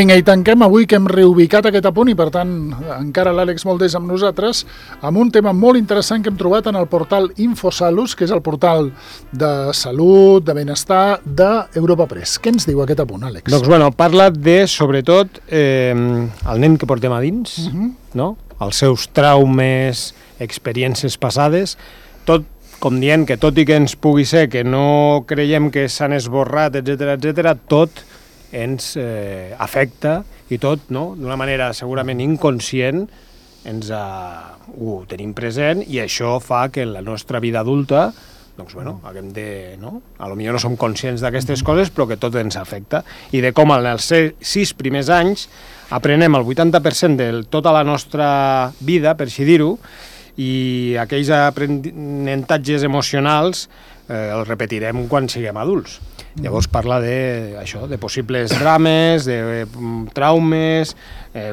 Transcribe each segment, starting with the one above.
Vinga, i tanquem avui que hem reubicat aquest apunt i, per tant, encara l'Àlex Moldés amb nosaltres, amb un tema molt interessant que hem trobat en el portal Infosalus, que és el portal de salut, de benestar d'Europa Press. Què ens diu aquest apunt, Àlex? Doncs, bueno, parla de, sobretot, el nen que portem a dins, no? Els seus traumes, experiències passades, tot com dient que tot i que ens pugui ser que no creiem que s'han esborrat, etc., tot ens afecta i tot, no? D'una manera segurament inconscient ho tenim present i això fa que en la nostra vida adulta doncs, bueno, haguem de, no? A lo millor no som conscients d'aquestes coses, però que tot ens afecta. I de com en els 6 primers anys aprenem el 80% de tota la nostra vida, per així dir-ho, i aquells aprenentatges emocionals els repetirem quan siguem adults. Llavors parla de possibles drames, de traumes,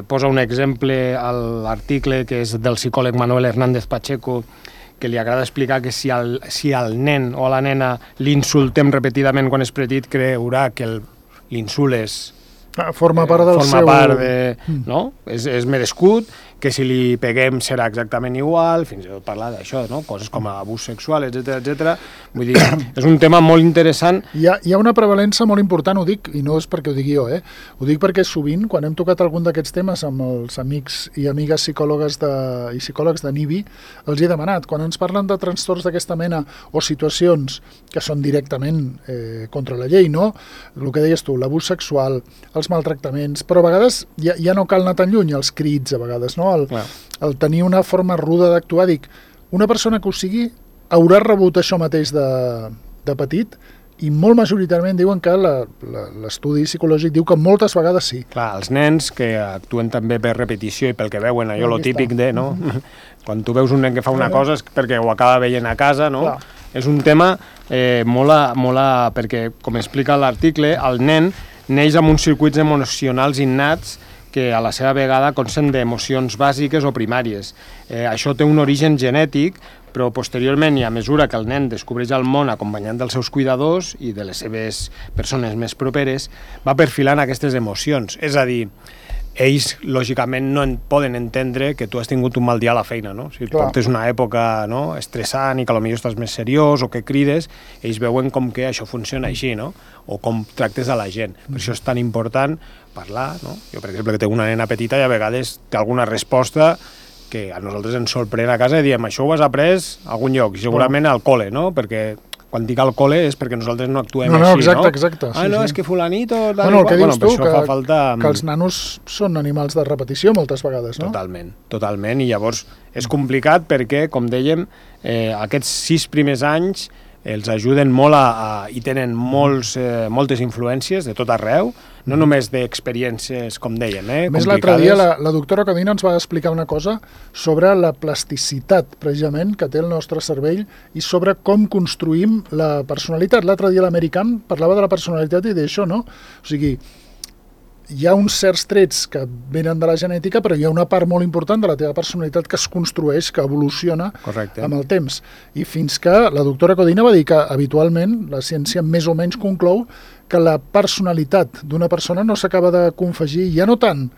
posa un exemple a l'article que és del psicòleg Manuel Hernández Pacheco, que li agrada explicar que si al nen o a la nena l'insultem repetidament quan és petit, creurà que l'insult forma part del seu... no? És merescut, que si li peguem serà exactament igual, fins i tot parlar d'això, no? Coses com abús sexual, etc. Vull dir, és un tema molt interessant. Hi ha una prevalença molt important, ho dic, i no és perquè ho digui jo, ho dic perquè sovint, quan hem tocat algun d'aquests temes amb els amics i amigues psicòlogs i psicòlegs de NIBI, els he demanat, quan ens parlen de trastorns d'aquesta mena o situacions que són directament contra la llei, no? El que deies tu, l'abús sexual, els maltractaments, però a vegades ja no cal anar tan lluny, els crits a vegades, no? El tenir una forma ruda d'actuar, dic, una persona que ho sigui haurà rebut això mateix de petit i molt majoritàriament diuen que l'estudi psicològic diu que moltes vegades sí. Clar, els nens que actuen també per repetició i pel que veuen, allò lo típic de, no? Quan tu veus un nen que fa una cosa és perquè ho acaba veient a casa, no? Clar. És un tema perquè, com explica l'article, el nen neix amb uns circuits emocionals innats que a la seva vegada consten d'emocions bàsiques o primàries. Això té un origen genètic, però posteriorment, i a mesura que el nen descobreix el món acompanyant dels seus cuidadors i de les seves persones més properes, va perfilant aquestes emocions. És a dir, ells, lògicament, no poden entendre que tu has tingut un mal dia a la feina, no? Si portes una època, no, estressant i que potser estàs més seriós o que crides, ells veuen com que això funciona així, no? O com tractes a la gent. Per això és tan important parlar, no? Jo, per exemple, que tinc una nena petita i a vegades té alguna resposta que a nosaltres ens sorprèn a casa i diem, això ho has après a algun lloc, segurament al col·le, no? Perquè quan dic al col·le és perquè nosaltres no actuem així, no? Exacte. És que fulanito... El que dius tu, que els nanos són animals de repetició moltes vegades, no? Totalment, i llavors és complicat perquè, com dèiem, aquests 6 primers anys els ajuden molt i tenen moltes influències de tot arreu, no només d'experiències, com dèiem, complicades. Més l'altre dia la doctora Codina ens va explicar una cosa sobre la plasticitat, precisament, que té el nostre cervell i sobre com construïm la personalitat. L'altre dia l'American parlava de la personalitat i d'això, no? O sigui, hi ha uns certs trets que venen de la genètica, però hi ha una part molt important de la teva personalitat que es construeix, que evoluciona amb el temps. I fins que la doctora Codina va dir que habitualment la ciència més o menys conclou que la personalitat d'una persona no s'acaba de confegir, ja no tant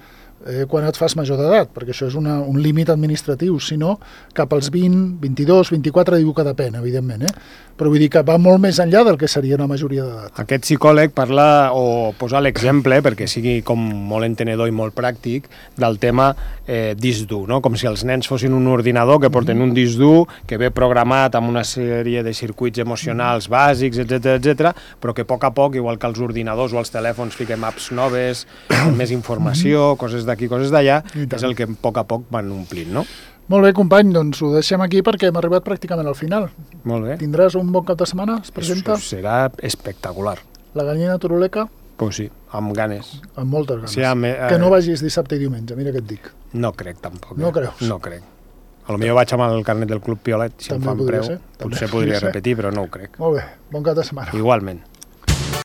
quan et fas major d'edat, perquè això és un límit administratiu, sinó cap als 20, 22, 24, diu que depèn, evidentment, però vull dir que va molt més enllà del que seria una majoria d'edat. Aquest psicòleg parla o posa l'exemple, perquè sigui com molt entenedor i molt pràctic, del tema disc dur, no? Com si els nens fossin un ordinador que porten un disc dur que ve programat amb una sèrie de circuits emocionals bàsics, etc., però que a poc, igual que els ordinadors o els telèfons, fiquem apps noves, més informació, coses d'aquí, coses d'allà, és el que a poc van omplint, no? Molt bé, company, doncs ho deixem aquí perquè hem arribat pràcticament al final. Molt bé. Tindràs un bon cap de setmana? Es presenta? Això serà espectacular. La gallina turuleca? Pues sí, amb ganes. Amb moltes ganes. Sí, que no vagis dissabte i diumenge, mira què et dic. No crec, tampoc. No creus? No crec. Potser vaig amb el carnet del Club Piolet, si em fan preu. Potser podria repetir, però no ho crec. Molt bé, bon cap de setmana. Igualment.